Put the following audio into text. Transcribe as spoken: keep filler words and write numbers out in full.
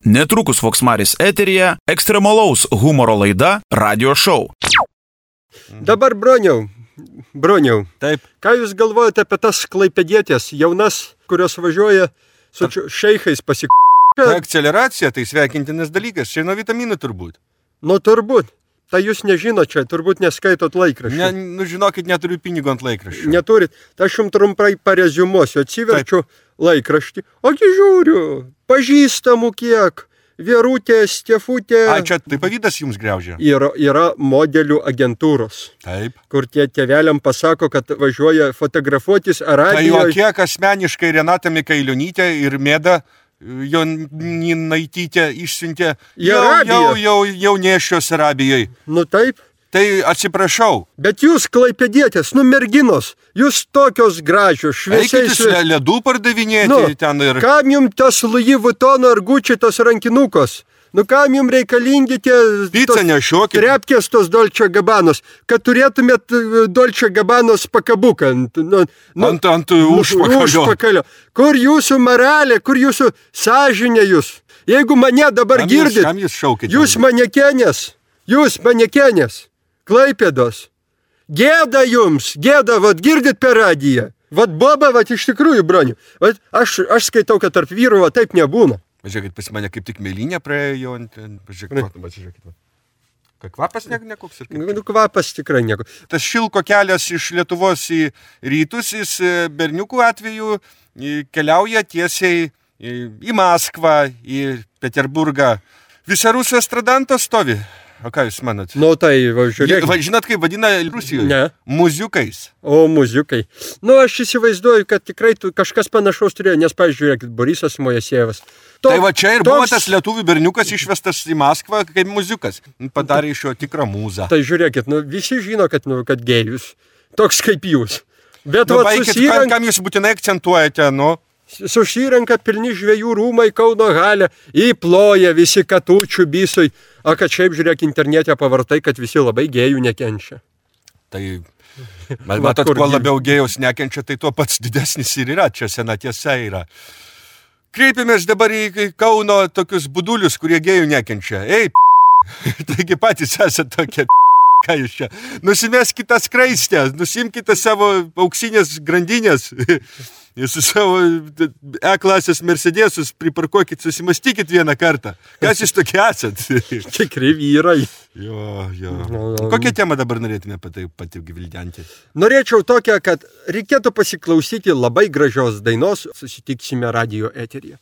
Netrukus Voksmaris eteryje ekstremalaus humoro laida Radio Show. Dabar Broniau, Broniau, Taip. Ką jūs galvojate apie tas klaipėdietės jaunas, kurios važiuoja su Ta... šeichais pasik... Ta akceleracija, tai sveikintinas dalykas, čia nuo vitaminų turbūt. Nu turbūt, tai jūs nežinot čia, turbūt neskaitot laikraščių. Ne, nu žinokit, neturiu pinigų ant laikraščių. Neturit, tai aš jums trumpai pareziumuosiu, atsiverčiu Taip. Laikraštį, ogi žiūriu, pažįstamų kiek. Vierutė, Stefutė. A, čia tai pavydas jums griaužia? Yra, yra modelių agentūros. Taip. Kur tie tėveliam pasako, kad važiuoja fotografuotis Arabijoje. Tai jo kiek asmeniškai Renata Mikailionytė ir Mėda Jonaitytė išsiuntė jau, jau, jau, jau nešios Arabijoje. Nu taip. Tai atsiprašau. Bet jūs klaipėdietės, nu merginos, jūs tokios gražios, šviesiais... Eikit jūs ledų pardavinėti nu, ten ir... Kam jums tas Louis Vuitton ar Gucci tos rankinukos? Nu kam jums reikalingi tie... Pica nešiokit. Trepkės tos Dolce Gabbanos, kad turėtumėt Dolce Gabbanos pakabuką. Nu, nu, ant ant užpakalio. užpakalio. Kur jūsų moralė, kur jūsų sąžinė jūs? Jeigu mane dabar kam girdit, jūs, kam jūs, šaukite, jūs manekenės, jūs manekenės. Klaipėdos. Gėda jums, gėda, vat girdit per radiją. Vat boba, vat iš tikrųjų, Broniu. Vat aš, aš skaitau, kad tarp vyrų va, taip nebūna. Pažiūrėkit, pas mane kaip tik mėlynė praėjo. Pažiūrėkit, pažiūrėkit. Ką kvapas ne, nekoks ir kaip? Nu, kvapas tikrai nekoks. Tas šilko kelias iš Lietuvos į rytus, jis berniukų atveju keliauja tiesiai į Maskvą, į Peterburgą. Visa Rusų estradanto stovi. O ką jūs manot? Nu tai, va, žiūrėk. Va, žinot, kaip vadina Rusijoje? Ne. Muziukais. O, muziukai. Nu, aš įsivaizduoju, kad tikrai tu, kažkas panašaus turėjo, nes, pažiūrėkit, Borisas Mojasejevas. Tok, tai va čia ir toks... buvo tas lietuvių berniukas išvestas į Maskvą kaip muziukas. Padarė iš jo tikrą mūzą. Tai žiūrėkit, nu, visi žino, kad, nu, kad gėjus. Toks kaip jūs. Bet, nu, va, baikit, susirenk... kam jūs būtinai akcentuojate, nu? Susirenka pilni žvejų rūmai Kauno halę, įploja visi katučių bisui, o kad šiaip žiūrėk internete pavartai, kad visi labai gėjų nekenčia. Tai, matot, kuo labiau gėjus nekenčia, tai tuo pats didesnis ir yra, čia sena tiesa yra. Kreipiamės dabar į Kauno tokius budulius, kurie gėjų nekenčia. Ei, p***, taigi patys esate tokie p***, ką jūs čia. Nusimeskite skraistę, nusimkite savo auksinės grandinės. Su savo E-klasės Mercedesus priparkuokit, susimastykit vieną kartą. Kas jūs tokie esat? Tikri vyrai. Jo, jo. Kokią temą dabar norėtume pati, pati gvildenti? Norėčiau tokią, kad reikėtų pasiklausyti labai gražios dainos. Susitiksime radio eteryje.